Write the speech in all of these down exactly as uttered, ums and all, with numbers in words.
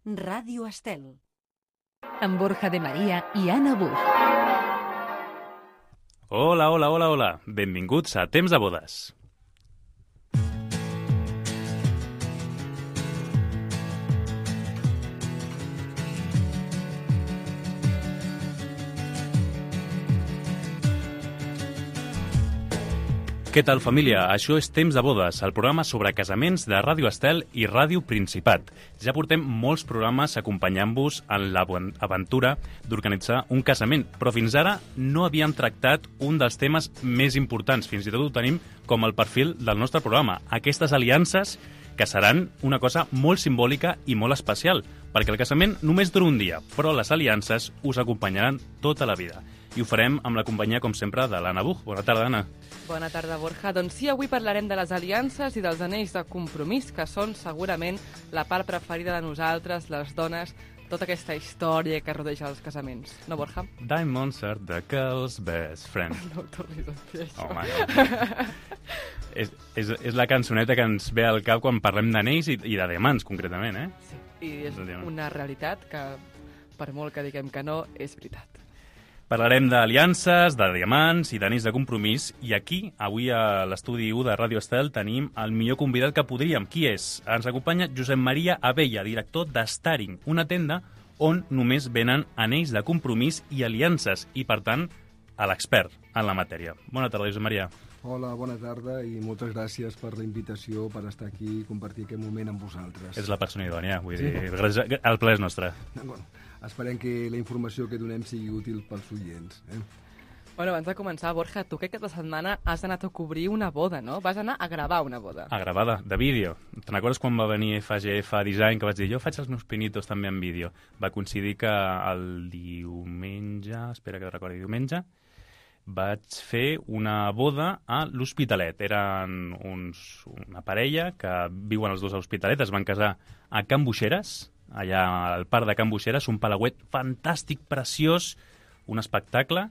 Ràdio Estel. Amb Borja de Maria i Anna Buch. Hola, hola, hola, hola. Benvinguts a Temps de Bodes. Què tal, família? Això és Temps de Bodes, el programa sobre casaments de Ràdio Estel i Ràdio Principat. Ja portem molts programes acompanyant-vos en l'aventura d'organitzar un casament, però fins ara no havíem tractat un dels temes més importants. Fins i tot ho tenim com el perfil del nostre programa. Aquestes aliances que seran una cosa molt simbòlica i molt especial, perquè el casament només dura un dia, però les aliances us acompanyaran tota la vida. I ho farem amb la companyia, com sempre, de l'Anna Buch. Bona tarda, Anna. Bona tarda, Borja. Doncs sí, avui parlarem de les aliances i dels anells de compromís, que són segurament la part preferida de nosaltres, les dones, tota aquesta història que rodeja els casaments. No, Borja? Diamonds are the girl's best friend. No ho tornis a fer, això. Home, no. és, és, és la cançoneta que ens ve al cap quan parlem d'anells i, i de diamants, concretament, eh? Sí, i és una realitat que, per molt que diguem que no, és veritat. Parlarem d'aliances, de diamants i d'anells de compromís, i aquí, avui a l'estudi u de Ràdio Estel, tenim el millor convidat que podríem. Qui és? Ens acompanya Josep Maria Abella, director d'Staring, una tenda on només venen anells de compromís i aliances, i, per tant, a l'expert en la matèria. Bona tarda, Josep Maria. Hola, bona tarda i moltes gràcies per la invitació, per estar aquí i compartir aquest moment amb vosaltres. És la persona idònia, vull dir, el ple és nostre. Bueno, esperem que la informació que donem sigui útil pels oients. Eh? Bueno, abans de començar, Borja, tu que aquesta setmana has anat a cobrir una boda, no? Vas anar a gravar una boda. A gravar de, de vídeo. Te'n recordes quan va venir F G F Design, que vaig dir, jo faig els meus pinitos també en vídeo? Va coincidir que el diumenge, espera que recordi, diumenge, vaig fer una boda a l'Hospitalet. Eren uns, una parella que viuen els dos a l'Hospitalet, es van casar a Can Buixeres, allà al parc de Can Buixeres, un palauet fantàstic, preciós, un espectacle,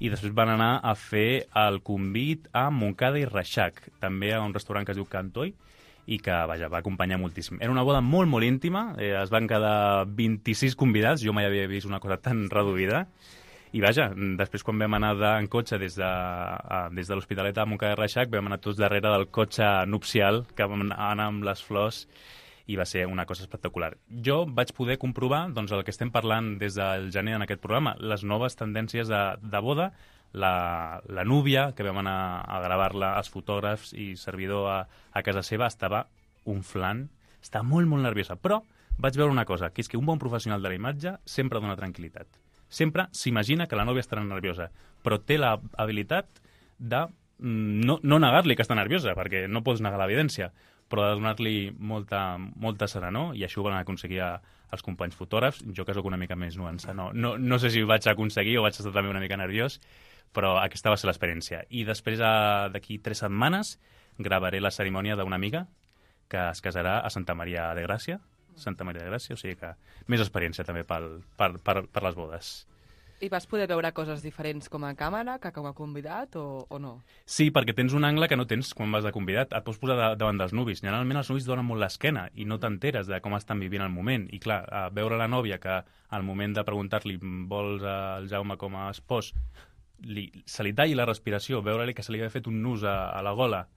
i després van anar a fer el convit a Montcada i Reixac, també a un restaurant que es diu Cantoi, i que, vaja, va acompanyar moltíssim. Era una boda molt, molt íntima, eh, es van quedar vint-i-sis convidats, jo mai havia vist una cosa tan reduïda, i vaja, després quan vam anar de, en cotxe des de, a, des de l'Hospitalet a Montcada i Reixac, vam anar tots darrere del cotxe nupcial, que vam anar amb les flors, i va ser una cosa espectacular. Jo vaig poder comprovar doncs, el que estem parlant des del gener en aquest programa, les noves tendències de, de boda, la, la núvia, que vam anar a gravar-la, els fotògrafs i servidor a, a casa seva, estava unflant, estava molt, molt nerviosa, però vaig veure una cosa, que és que un bon professional de la imatge sempre dona tranquil·litat. Sempre s'imagina que la nòvia estarà nerviosa, però té l'habilitat de no, no negar-li que està nerviosa, perquè no pots negar l'evidència, però de donar-li molta, molta serenor, i això ho van aconseguir els companys fotògrafs. Jo, que sóc una mica més nuança, no, no, no sé si ho vaig aconseguir o vaig estar també una mica nerviós, però aquesta va ser l'experiència. I després, d'aquí tres setmanes, gravaré la cerimònia d'una amiga que es casarà a Santa Maria de Gràcia, Santa Maria de Gràcia, o sigui que més experiència també pel, per, per, per les bodes. I vas poder veure coses diferents com a càmera que com a convidat o, o no? Sí, perquè tens un angle que no tens quan vas de convidat. Et pots posar de, davant dels nuvis. Generalment els nuvis donen molt l'esquena i no t'enteres de com estan vivint el moment. I clar, a veure la nòvia que al moment de preguntar-li vols el Jaume com a espòs, li, se li talli la respiració, veure-li que se li havia fet un nus a, a la gola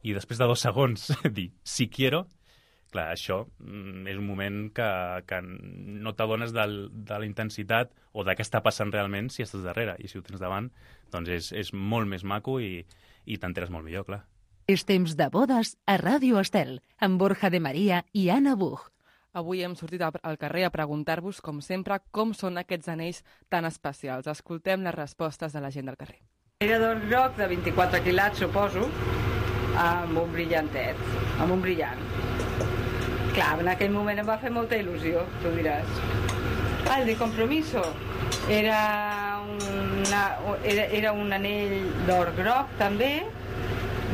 i després de dos segons dir si quiero. Clar, això és un moment que, que no t'adones de la intensitat o de què està passant realment si estàs darrere. I si ho tens davant, doncs és, és molt més maco i, i t'enteres molt millor, clar. És Temps de Bodes a Ràdio Estel, amb Borja de Maria i Anna Buch. Avui hem sortit al carrer a preguntar-vos, com sempre, com són aquests anells tan especials. Escoltem les respostes de la gent del carrer. Era d'or groc de vint-i-quatre quilats, suposo, amb un brillantet, amb un brillant. Clar, en aquell moment em va fer molta il·lusió, tu diràs. Ah, el de compromiso era, una, era, era un anell d'or groc, també,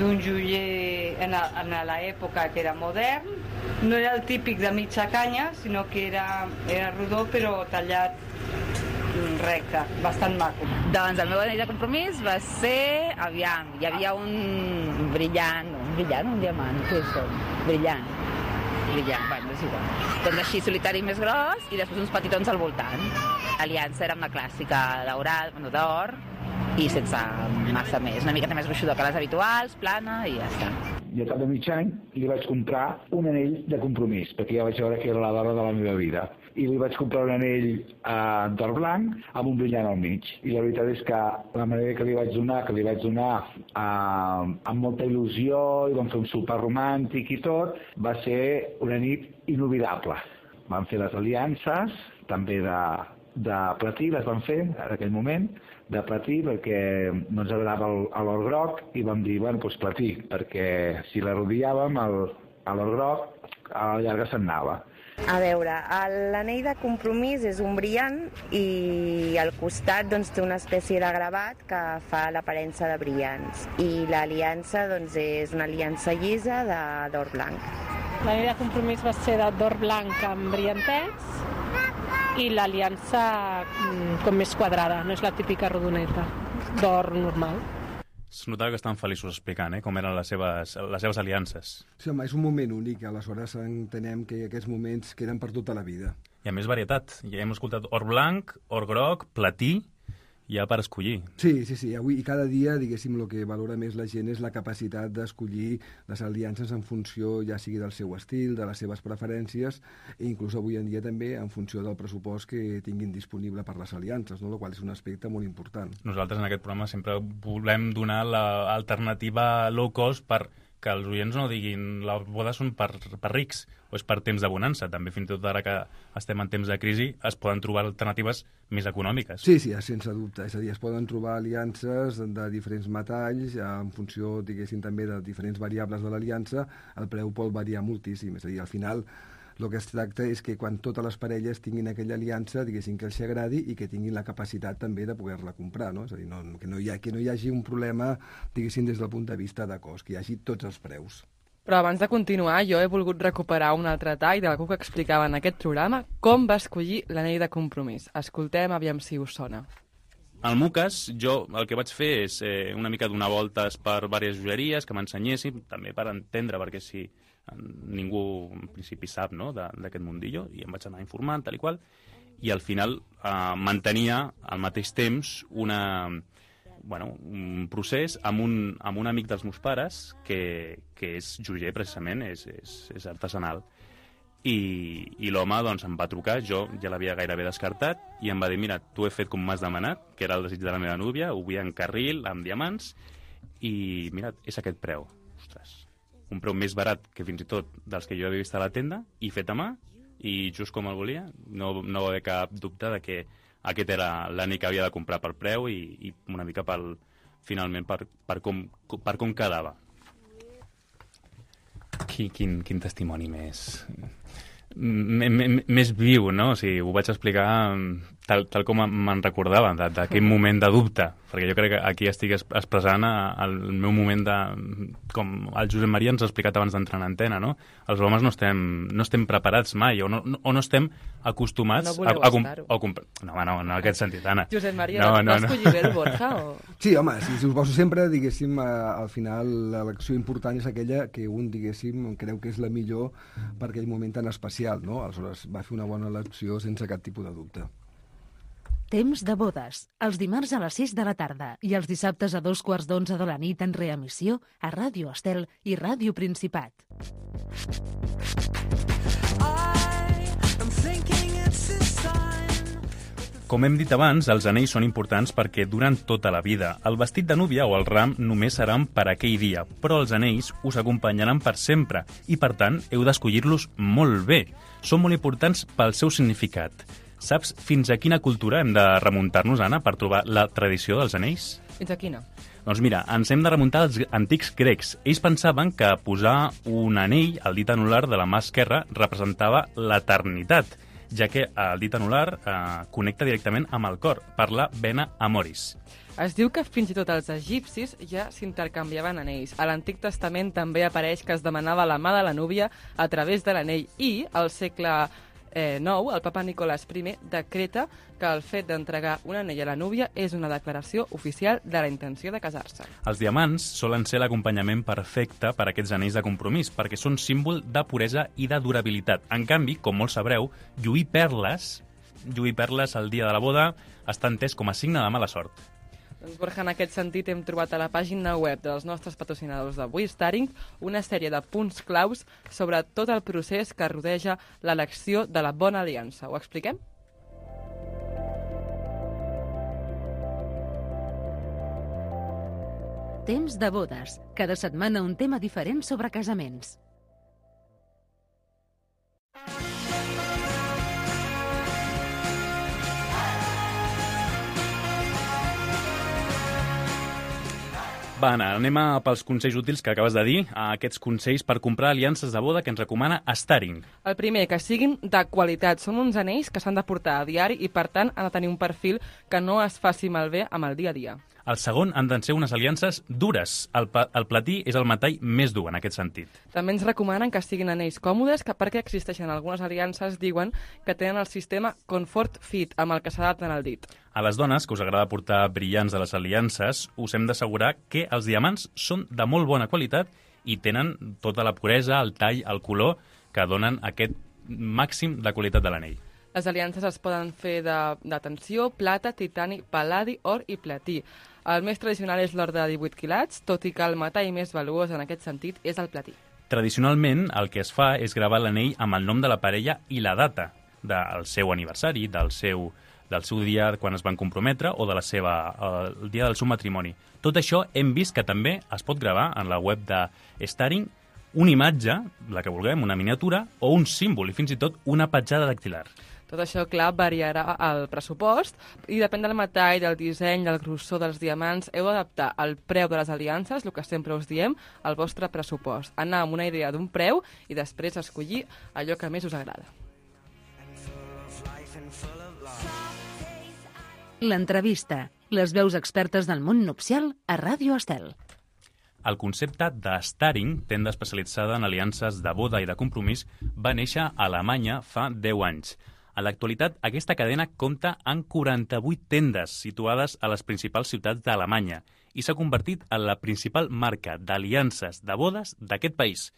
d'un joier en, a, en l'època que era modern. No era el típic de mitja canya, sinó que era, era rodó, però tallat recte, bastant maco. Doncs el meu anell de compromís va ser, aviam, hi havia un brillant, un brillant, un diamant, què és això? Brillant. brillant, bueno, és igual. Doncs així, solitari més gros i després uns petitons al voltant. L'aliança era una clàssica daurada, bueno, d'or, i sense massa més. Una miqueta més gruixuda que les habituals, plana, i ja està. I al cap de mig any li vaig comprar un anell de compromís, perquè ja vaig veure que era la dona de la meva vida. I li vaig comprar un anell eh, d'or blanc amb un brillant al mig. I la veritat és que la manera que li vaig donar, que li vaig donar eh, amb molta il·lusió, i vam fer un sopar romàntic i tot, va ser una nit inoblidable. Vam fer les aliances, també de, de platí, les vam fer en aquell moment, de platí, perquè no ens agradava l'or groc, i vam dir, bueno, doncs platí, perquè si la rodillàvem, l'or groc a la llarga se'n anava. A veure, l'anell de compromís és un brillant i al costat doncs, té una espècie de gravat que fa l'aparença de brillants. I l'aliança doncs, és una aliança llisa d'or blanc. L'anell de compromís va ser d'or blanc amb brillantets i l'aliança com més quadrada, no és la típica rodoneta d'or normal. Es notava que estan feliços explicant eh, com eren les seves, les seves aliances. Sí, home, és un moment únic, aleshores entenem que aquests moments queden per tota la vida. I a més varietat, ja hem escoltat or blanc, or groc, platí, ja per escollir. Sí, sí, sí, avui i cada dia, diguéssim, el que valora més la gent és la capacitat d'escollir les aliances en funció, ja sigui del seu estil, de les seves preferències, i inclús avui en dia també en funció del pressupost que tinguin disponible per les aliances, no? El qual és un aspecte molt important. Nosaltres en aquest programa sempre volem donar l'alternativa low cost per que els oients no diguin les bodes són per, per rics o és per temps de bonança. També fins i tot ara que estem en temps de crisi es poden trobar alternatives més econòmiques. Sí, sí, sense dubte. És a dir, es poden trobar aliances de diferents metalls en funció, diguéssim, també de diferents variables de l'aliança. El preu pot variar moltíssim. És a dir, al final el que es tracta és que quan totes les parelles tinguin aquella aliança, diguéssim, que els agradi i que tinguin la capacitat també de poder-la comprar, no? És a dir, no, que, no hi ha, que no hi hagi un problema, diguéssim, des del punt de vista de cost, que hi hagi tots els preus. Però abans de continuar, jo he volgut recuperar un altre tall d'algú que explicava en aquest programa com va escollir l'anell de compromís. Escoltem, aviam si us sona. Al meu cas, jo el que vaig fer és eh, una mica donar voltes per diverses joieries que m'ensenyessin, també per entendre, perquè si ningú en principi sap no, d'aquest mundillo, i em vaig anar informant, tal i qual, i al final eh, mantenia al mateix temps una, bueno, un procés amb un, amb un amic dels meus pares que, que és joier precisament, és, és, és artesanal. I, i l'home doncs, em va trucar, jo ja l'havia gairebé descartat, i em va dir, mira, t'ho he fet com m'has demanat, que era el desig de la meva núvia, ho vull en carril, amb diamants, i mira, és aquest preu. Ostres, un preu més barat que fins i tot dels que jo havia vist a la tenda, i fet a mà, i just com el volia, no, no va haver cap dubte de que aquest era l'anell que havia de comprar pel preu i, i una mica pel, finalment per, per, com, per com quedava. Quin, quin, quin testimoni més... més viu, no? O sigui, ho vaig explicar tal, tal com me'n recordava, d'aquell moment de dubte, perquè jo crec que aquí estic expressant el meu moment de... com el Josep Maria ens ha explicat abans d'entrar en antena, no? Els homes no estem, no estem preparats mai, o no, o no estem acostumats no a, a, a, a comprar... No, no, no en aquest sentit, Anna. Josep Maria, no, no, no, no. Escollir bé el Borja? O... Sí, home, si, si us poso sempre, diguéssim, al final l'elecció important és aquella que un, diguéssim, creu que és la millor per aquell moment tan especial, no? Aleshores va fer una bona elecció sense cap tipus de dubte. Temps de bodes, els dimarts a les sis de la tarda i els dissabtes a dos quarts d'onze de la nit en reemissió a Ràdio Estel i Ràdio Principat. Com hem dit abans, els anells són importants perquè duren tota la vida. El vestit de núvia o el ram només seran per aquell dia, però els anells us acompanyaran per sempre i, per tant, heu d'escollir-los molt bé. Són molt importants pel seu significat. Saps fins a quina cultura hem de remuntar-nos, Anna, per trobar la tradició dels anells? Fins a quina? Doncs mira, ens hem de remuntar als antics grecs. Ells pensaven que posar un anell al dit anular de la mà esquerra representava l'eternitat, ja que el dit anular eh, connecta directament amb el cor, per la vena amoris. Es diu que fins i tot els egipcis ja s'intercanviaven anells. A l'Antic Testament també apareix que es demanava la mà de la núvia a través de l'anell i, al segle eh, nou, el papa Nicolás I decreta que el fet d'entregar un anell a la núvia és una declaració oficial de la intenció de casar-se. Els diamants solen ser l'acompanyament perfecte per a aquests anells de compromís, perquè són símbol de puresa i de durabilitat. En canvi, com molts sabreu, lluir perles, lluir perles el dia de la boda està entès com a signe de mala sort. Doncs, Borja, en aquest sentit hem trobat a la pàgina web dels nostres patrocinadors d'avui, Staring, una sèrie de punts claus sobre tot el procés que rodeja l'elecció de la bona aliança. Ho expliquem? Temps de bodes. Cada setmana un tema diferent sobre casaments. Va, Anna, anem a pels consells útils que acabes de dir, a aquests consells per comprar aliances de boda que ens recomana Staring. El primer, que siguin de qualitat. Són uns anells que s'han de portar a diari i, per tant, han de tenir un perfil que no es faci malbé amb el dia a dia. El segon han de ser unes aliances dures. El, el platí és el metall més dur en aquest sentit. També ens recomanen que siguin anells còmodes, que perquè existeixen algunes aliances, diuen que tenen el sistema Comfort Fit, amb el que s'adapten al dit. A les dones, que us agrada portar brillants de les aliances, us hem d'assegurar que els diamants són de molt bona qualitat i tenen tota la puresa, el tall, el color, que donen aquest màxim de qualitat de l'anell. Les aliances es poden fer de, de tensió, plata, titani, pal·ladi, or i platí. El més tradicional és l'or de divuit quilats, tot i que el metall més valuós en aquest sentit és el platí. Tradicionalment, el que es fa és gravar l'anell amb el nom de la parella i la data del seu aniversari, del seu, del seu dia quan es van comprometre o de la seva, el dia del seu matrimoni. Tot això hem vist que també es pot gravar en la web de Staring una imatge, la que vulguem, una miniatura, o un símbol, i fins i tot una petjada dactilar. Tot això, clar, variarà el pressupost i depèn del metall, del disseny, del grossor dels diamants. Heu d'adaptar el preu de les aliances, el que sempre us diem, al vostre pressupost. Anar amb una idea d'un preu i després escollir allò que més us agrada. L'entrevista. Les veus expertes del món nupcial a Ràdio Estel. El concepte de Staring, tenda especialitzada en aliances de boda i de compromís, va néixer a Alemanya fa deu anys. En l'actualitat, aquesta cadena compta amb quaranta-vuit tendes situades a les principals ciutats d'Alemanya i s'ha convertit en la principal marca d'aliances de bodes d'aquest país,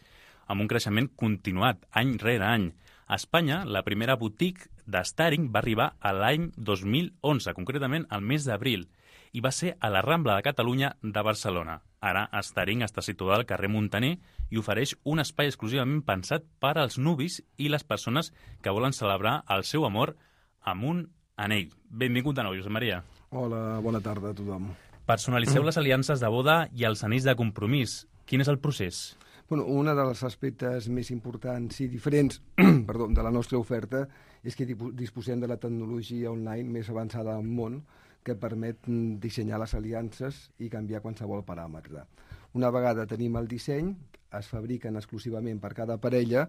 amb un creixement continuat any rere any. A Espanya, la primera boutique de Staring va arribar a l'any dos mil onze, concretament al mes d'abril, i va ser a la Rambla de Catalunya de Barcelona. Ara, Staring està situada al carrer Muntaner i ofereix un espai exclusivament pensat per als nuvis i les persones que volen celebrar el seu amor amb un anell. Benvingut de nou, Josep Maria. Hola, bona tarda a tothom. Personaliceu les aliances de boda i els anells de compromís. Quin és el procés? Bueno, un dels aspectes més importants i diferents perdó, de la nostra oferta és que disposem de la tecnologia online més avançada del món que permet dissenyar les aliances i canviar qualsevol paràmetre. Una vegada tenim el disseny, es fabriquen exclusivament per cada parella,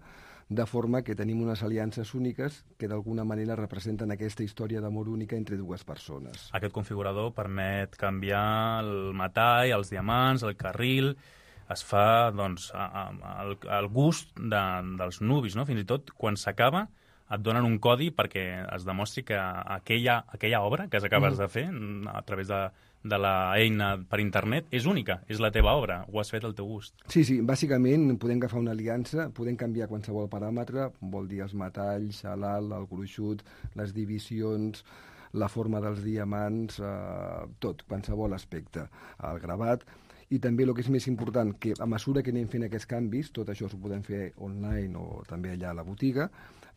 de forma que tenim unes aliances úniques que d'alguna manera representen aquesta història d'amor única entre dues persones. Aquest configurador permet canviar el metall, els diamants, el carril. Es fa doncs, al, al gust de, dels nuvis, no? Fins i tot quan s'acaba et donen un codi perquè es demostri que aquella, aquella obra que acabes mm. de fer a través de, de l'eina per internet és única, és la teva obra, ho has fet al teu gust. Sí, sí, bàsicament podem agafar una aliança, podem canviar qualsevol paràmetre, vol dir els metalls, l'alt, el gruixut, les divisions, la forma dels diamants, eh, tot, qualsevol aspecte, el gravat. I també el que és més important, que a mesura que anem fent aquests canvis, tot això ho podem fer online o també allà a la botiga,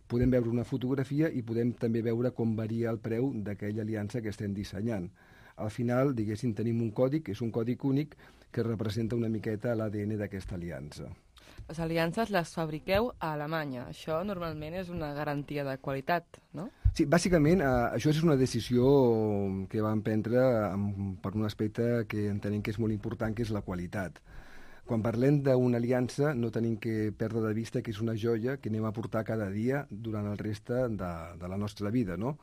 podem veure una fotografia i podem també veure com varia el preu d'aquella aliança que estem dissenyant. Al final, diguéssim, tenim un codi, que és un codi únic, que representa una miqueta l'A D N d'aquesta aliança. Les aliances les fabriqueu a Alemanya. Això normalment és una garantia de qualitat, no? Sí, bàsicament, eh, això és una decisió que vam prendre amb, per un aspecte que entenem que és molt important, que és la qualitat. Quan parlem d'una aliança no tenim que perdre de vista que és una joia que anem a portar cada dia durant el reste de, de la nostra vida, no?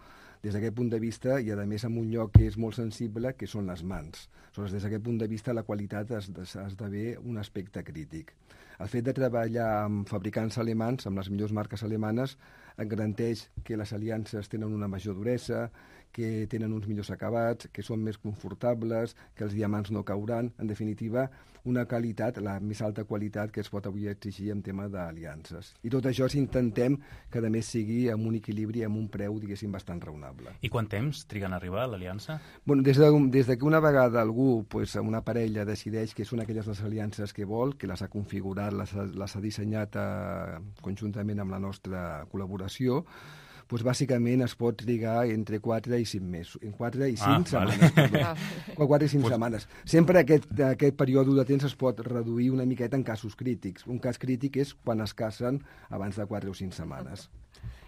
des d'aquest punt de vista, i a més en un lloc que és molt sensible, que són les mans. Aleshores, des d'aquest punt de vista, la qualitat esdevé un aspecte crític. El fet de treballar amb fabricants alemans, amb les millors marques alemanes, et garanteix que les aliances tenen una major duresa, que tenen uns millors acabats, que són més confortables, que els diamants no cauran. En definitiva, una qualitat, la més alta qualitat que es pot avui exigir en tema d'aliances. I tot això si intentem que a més sigui amb un equilibri, amb un preu, diguéssim, bastant raonable. I quant temps triguen a arribar a l'aliança? Bueno, des de, des de que una vegada algú, pues, una parella, decideix que són aquelles les aliances que vol, que les ha configurat, les ha, les ha dissenyat eh, conjuntament amb la nostra col·laboració, doncs bàsicament es pot trigar entre quatre i cinc mesos. En quatre i cinc ah, setmanes. Vale. quatre i cinc pues... setmanes. Sempre aquest, aquest període de temps es pot reduir una miqueta en casos crítics. Un cas crític és quan es casen abans de quatre o cinc setmanes.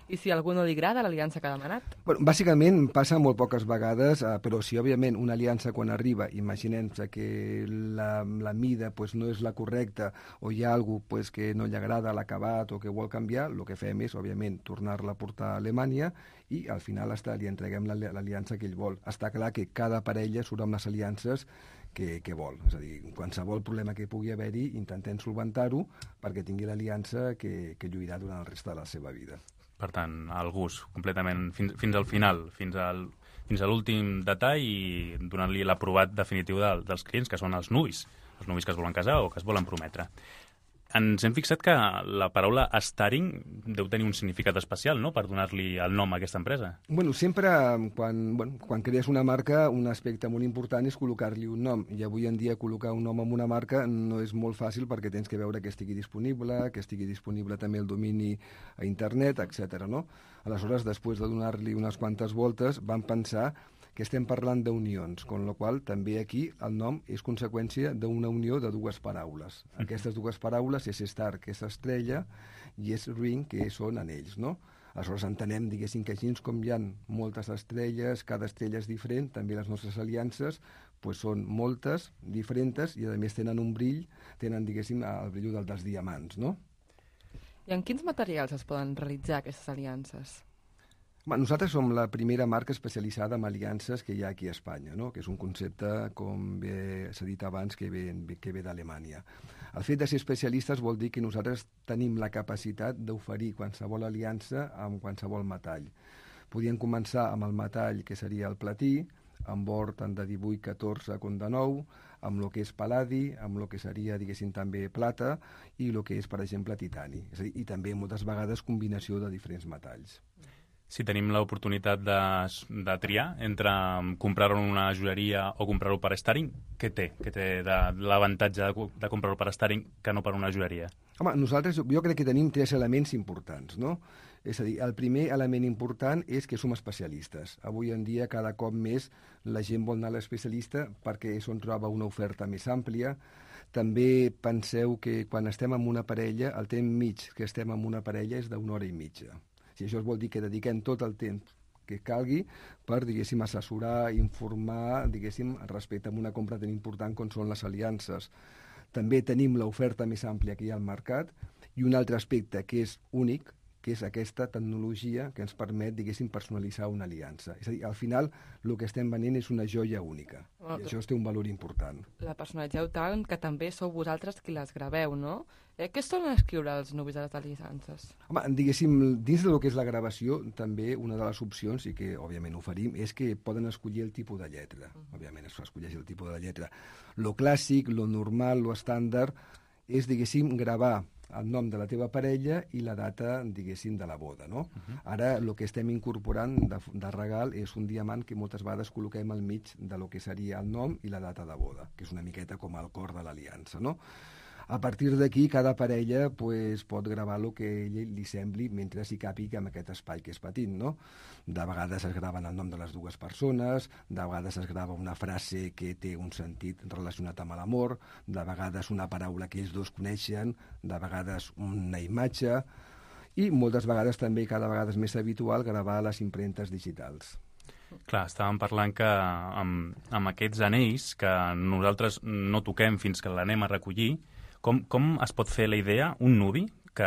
I si a algú no li agrada l'aliança que ha demanat? Bueno, bàsicament passa molt poques vegades, eh, però si òbviament una aliança quan arriba, imaginem-se que la, la mida pues, no és la correcta o hi ha algú pues, que no li agrada l'acabat o que vol canviar, el que fem és, òbviament, tornar-la a portar a Alemanya i al final està, li entreguem l'aliança que ell vol. Està clar que cada parella surt amb les aliances que, que vol. És a dir, qualsevol problema que pugui haver-hi, intentem solventar-ho perquè tingui l'aliança que, que lluirà durant el reste de la seva vida. Per tant, el gust, completament, fins, fins al final, fins, al, fins a l'últim detall i donant-li l'aprovat definitiu de, dels clients, que són els nuvis, els nuvis que es volen casar o que es volen prometre. Ens hem fixat que la paraula Staring deu tenir un significat especial, no?, per donar-li el nom a aquesta empresa. Bueno, sempre, quan, bueno, quan crees una marca, un aspecte molt important és col·locar-li un nom. I avui en dia col·locar un nom en una marca no és molt fàcil perquè tens que veure que estigui disponible, que estigui disponible també el domini a internet, etcètera. No? Aleshores, després de donar-li unes quantes voltes, vam pensar que estem parlant d'unions, con la qual també aquí el nom és conseqüència d'una unió de dues paraules. Aquestes dues paraules és star, que és estrella, i és ring, que són anells, no? Aleshores entenem, diguéssim, que així com hi ha moltes estrelles, cada estrella és diferent, també les nostres aliances pues, són moltes, diferents, i a més tenen un brill, tenen, diguéssim, el brill del dels diamants, no? I en quins materials es poden realitzar aquestes aliances? Nosaltres som la primera marca especialitzada en aliances que hi ha aquí a Espanya, no? Que és un concepte, com bé s'ha dit abans, que ve, que ve d'Alemanya. El fet de ser especialistes vol dir que nosaltres tenim la capacitat d'oferir qualsevol aliança amb qualsevol metall. Podríem començar amb el metall que seria el platí, amb or tant de divuit, catorze com de nou, amb el que és paladi, amb el que seria, diguéssim, també plata, i el que és, per exemple, titani. És a dir, i també moltes vegades combinació de diferents metalls. Si tenim l'oportunitat de, de triar entre comprar-ho en una joieria o comprar-ho per Staring, què té? Què té de, l'avantatge de, de comprar-ho per Staring que no per una joieria? Home, nosaltres jo crec que tenim tres elements importants, no? És a dir, el primer element important és que som especialistes. Avui en dia, cada cop més, la gent vol anar a l'especialista perquè és on troba una oferta més àmplia. També penseu que quan estem amb una parella, el temps mig que estem amb una parella és d'una hora i mitja. Si això vol dir que dediquem tot el temps que calgui per, diguéssim, assessorar, informar, diguéssim, respecte a una compra tan important com són les aliances. També tenim l'oferta més àmplia que hi ha al mercat i un altre aspecte que és únic, que és aquesta tecnologia que ens permet, diguéssim, personalitzar una aliança. És a dir, al final, el que estem venent és una joia única. Oh, I això té un valor important. La personalitzeu tant que també sou vosaltres qui les graveu, no? Eh, què solen escriure els nuvis de les aliances? Home, diguéssim, dins del que és la gravació, també una de les opcions, i que òbviament oferim, és que poden escollir el tipus de lletra. Uh-huh. Òbviament es escolleix el tipus de lletra. Lo clàssic, lo normal, lo estàndard, és, diguéssim, gravar el nom de la teva parella i la data, diguéssim, de la boda, no? Uh-huh. Ara, el que estem incorporant de, de regal és un diamant que moltes vegades col·loquem al mig de lo que seria el nom i la data de boda, que és una miqueta com el cor de l'aliança, no? A partir d'aquí, cada parella pues, pot gravar el que ell li sembli mentre s'hi càpiga en aquest espai que és petit, no? De vegades es graven el nom de les dues persones, de vegades es grava una frase que té un sentit relacionat amb l'amor, de vegades una paraula que ells dos coneixen, de vegades una imatge, i moltes vegades també, cada vegada és més habitual, gravar les impremtes digitals. Clar, estàvem parlant que amb, amb aquests anells que nosaltres no toquem fins que l'anem a recollir, Com, com es pot fer la idea, un nuvi, que,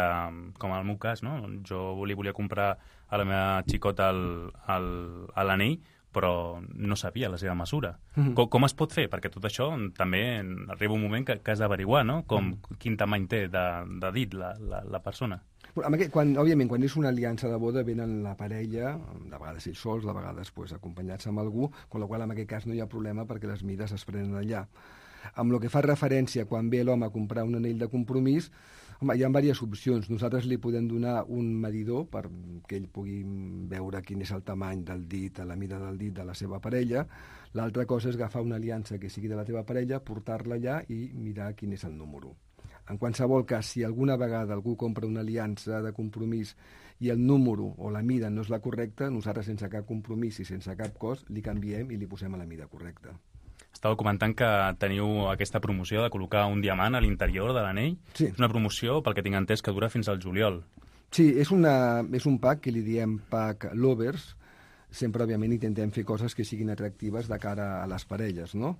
com en el meu cas, no? Jo li volia comprar a la meva xicota el- el- a l'anell, però no sabia la seva mesura. Mhm. Com, com es pot fer? Perquè tot això també arriba un moment que, que has d'averiguar, no? Com, quin tamany té de, de dit la, la, la persona. Però, amb aquest, quan, òbviament, quan és una aliança de boda, venen la parella, de vegades ells sols, de vegades pues, acompanyats amb algú, amb la qual en aquest cas no hi ha problema perquè les mides es prenen allà. Amb el que fa referència quan ve l'home a comprar un anell de compromís, home, hi ha diverses opcions. Nosaltres li podem donar un medidor perquè ell pugui veure quin és el tamany del dit, la mida del dit de la seva parella. L'altra cosa és agafar una aliança que sigui de la teva parella, portar-la allà i mirar quin és el número. En qualsevol cas, si alguna vegada algú compra una aliança de compromís i el número o la mida no és la correcta, nosaltres sense cap compromís i sense cap cost li canviem i li posem a la mida correcta. Estava comentant que teniu aquesta promoció de col·locar un diamant a l'interior de l'anell. Sí. És una promoció, pel que tinc entès, que dura fins al juliol. Sí, és, una, és un pack que li diem pack lovers. Sempre, òbviament, intentem fer coses que siguin atractives de cara a les parelles, no?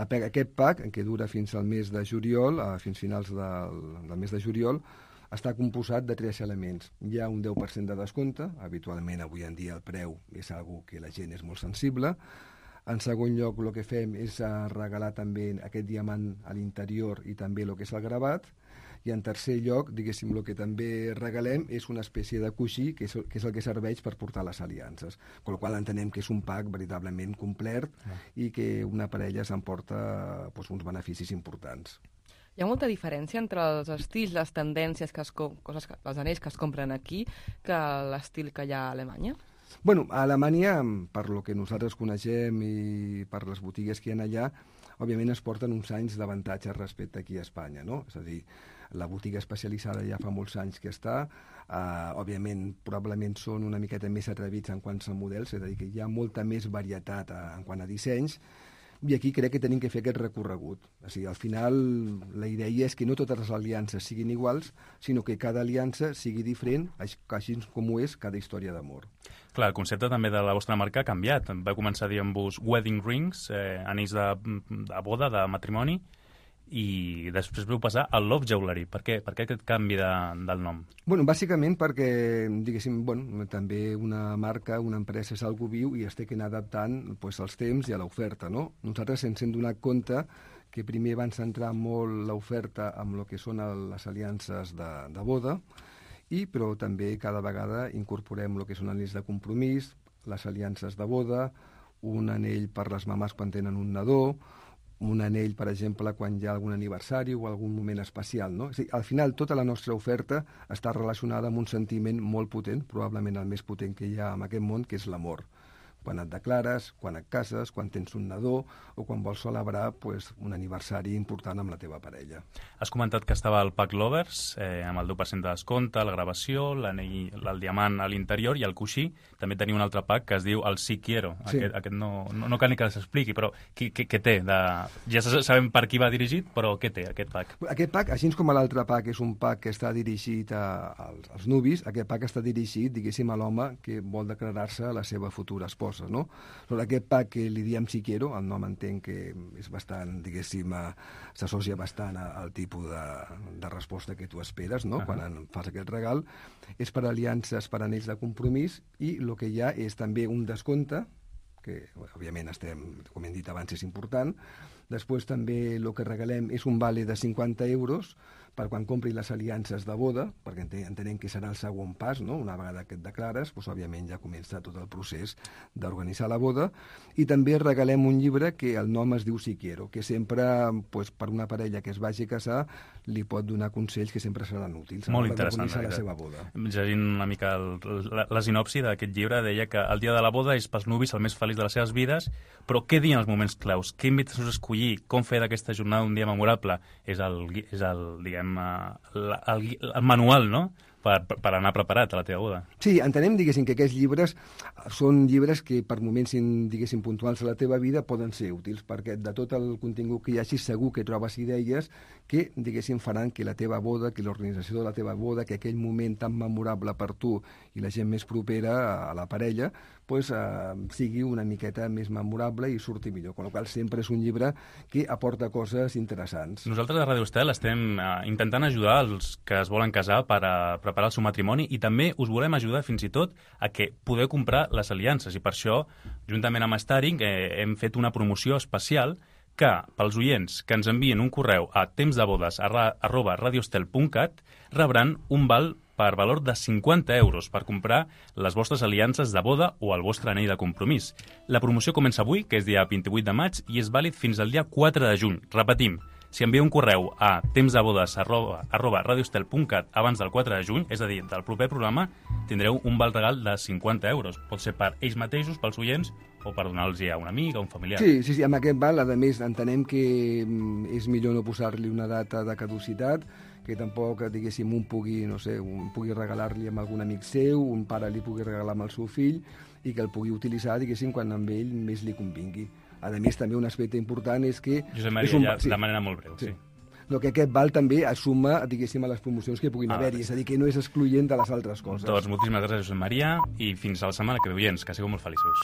Aquest pack, que dura fins al mes de juliol, fins finals del, del mes de juliol, està composat de tres elements. Hi ha un deu per cent de descompte, habitualment avui en dia el preu és algo que la gent és molt sensible. En segon lloc, el que fem és regalar també aquest diamant a l'interior i també el que és el gravat. I en tercer lloc, diguéssim, el que també regalem és una espècie de coixí, que és, que és el que serveix per portar les aliances. Amb la qual entenem que és un pack veritablement complet ah. i que una parella s'emporta doncs, uns beneficis importants. Hi ha molta diferència entre els estils, les tendències, que es, coses que, els anells que es compren aquí, que l'estil que hi ha a Alemanya? Bueno, a Alemanya, per lo que nosaltres coneixem i per les botigues que hi ha allà, òbviament es porten uns anys d'avantatge respecte aquí a Espanya, no? És a dir, la botiga especialitzada ja fa molts anys que està, uh, òbviament probablement són una miqueta més atrevits en quant a models, és a dir, que hi ha molta més varietat uh, en quant a dissenys, i aquí crec que tenim que fer aquest recorregut. O sigui, al final, la idea és que no totes les aliances siguin iguals, sinó que cada aliança sigui diferent, així com ho és cada història d'amor. Clar, el concepte també de la vostra marca ha canviat. Va començar dient-vos wedding rings, eh, anells de, de boda, de matrimoni, i després vau passar al Love Jewelry. Per què, per què aquest canvi de, del nom? Bueno, bàsicament perquè, diguéssim, bueno, també una marca, una empresa és algo viu i es té que anar adaptant pues, als temps i a l'oferta, no? Nosaltres ens hem donat compte que primer van centrar molt l'oferta amb el que són les aliances de, de boda, i però també cada vegada incorporem el que són anells de compromís, les aliances de boda, un anell per les mamàs quan tenen un nadó, un anell, per exemple, quan hi ha algun aniversari o algun moment especial, no? És a dir, al final, tota la nostra oferta està relacionada amb un sentiment molt potent, probablement el més potent que hi ha en aquest món, que és l'amor. Quan et declares, quan et cases, quan tens un nadó o quan vols celebrar pues, un aniversari important amb la teva parella. Has comentat que estava el Pack Lovers, eh, amb el deu per cent de descompte, la gravació, l'anell, el diamant a l'interior i el coixí. També teniu un altre pack que es diu el Sí Quiero. Sí. Aquest, aquest no, no, no cal ni que s'expliqui, però què, què, què té? De... Ja sabem per qui va dirigit, però què té aquest pack? Aquest pack, així com l'altre pack és un pack que està dirigit a, als, als nuvis, aquest pack està dirigit, diguéssim, a l'home que vol declarar-se a la seva futura esposa. No? Sobre aquest pack que li diem Si Quiero, el nom entenc que és bastant, diguéssim, s'associa bastant al tipus de, de resposta que tu esperes, no? Uh-huh. Quan en fas aquest regal. És per aliances, per anells de compromís, i el que hi ha és també un descompte, que òbviament estem, com hem dit abans, és important. Després també el que regalem és un vale de cinquanta euros per quan compri les aliances de boda, perquè entenem que serà el segon pas, no? Una vegada que et declares, doncs, òbviament ja comença tot el procés d'organitzar la boda. I també regalem un llibre que el nom es diu Si Quiero, que sempre, doncs, per una parella que es vagi a casar, li pot donar consells que sempre seran útils. Molt interessant. La seva boda. Llegint una mica el, la, la sinopsi d'aquest llibre, deia que el dia de la boda és pels nuvis el més feliç de les seves vides, però què dir en els moments claus? Què invitacions a escollir? Com fer d'aquesta jornada un dia memorable? És el, és el diguem, el, el, el manual, no?, per, per anar preparat a la teva boda. Sí, entenem, diguéssim, que aquests llibres són llibres que per moments, diguéssim, puntuals a la teva vida poden ser útils, perquè de tot el contingut que hi hagi segur que trobes idees que, diguéssim, faran que la teva boda, que l'organització de la teva boda, que aquell moment tan memorable per tu i la gent més propera a la parella, pues, eh, sigui una miqueta més memorable i surti millor. Con la qual sempre és un llibre que aporta coses interessants. Nosaltres a Ràdio Estel estem eh, intentant ajudar els que es volen casar per, a, per preparar el seu matrimoni i també us volem ajudar fins i tot a que podeu comprar les aliances i per això, juntament amb Staring, eh, hem fet una promoció especial que pels oients que ens envien un correu a tempsdebodes arroba radiostel punt cat rebran un val per valor de cinquanta euros per comprar les vostres aliances de boda o el vostre anell de compromís. La promoció comença avui, que és dia vint-i-vuit de maig, i és vàlid fins al dia quatre de juny. Repetim, si envieu un correu a tempsdebodes arroba radiostel punt cat abans del quatre de juny, és a dir, del proper programa, tindreu un val regal de cinquanta euros. Pot ser per ells mateixos, pels oients, o per donar-los a un amic, a un familiar. Sí, sí, sí, amb aquest val, a més, entenem que és millor no posar-li una data de caducitat, que tampoc, diguéssim, un pugui, no sé, un pugui regalar-li amb algun amic seu, un pare li pugui regalar amb el seu fill, i que el pugui utilitzar, diguéssim, quan amb ell més li convingui. A més, també un aspecte important és que... Josep Maria, un... ja sí. de manera molt breu, sí. sí. No, que aquest val també assuma, diguéssim, a les promocions que puguin ah, haver-hi, és a dir, que no és excloent de les altres coses. Doncs moltíssimes gràcies, Josep Maria, i fins a la setmana que ve, oients, que sigueu molt feliços.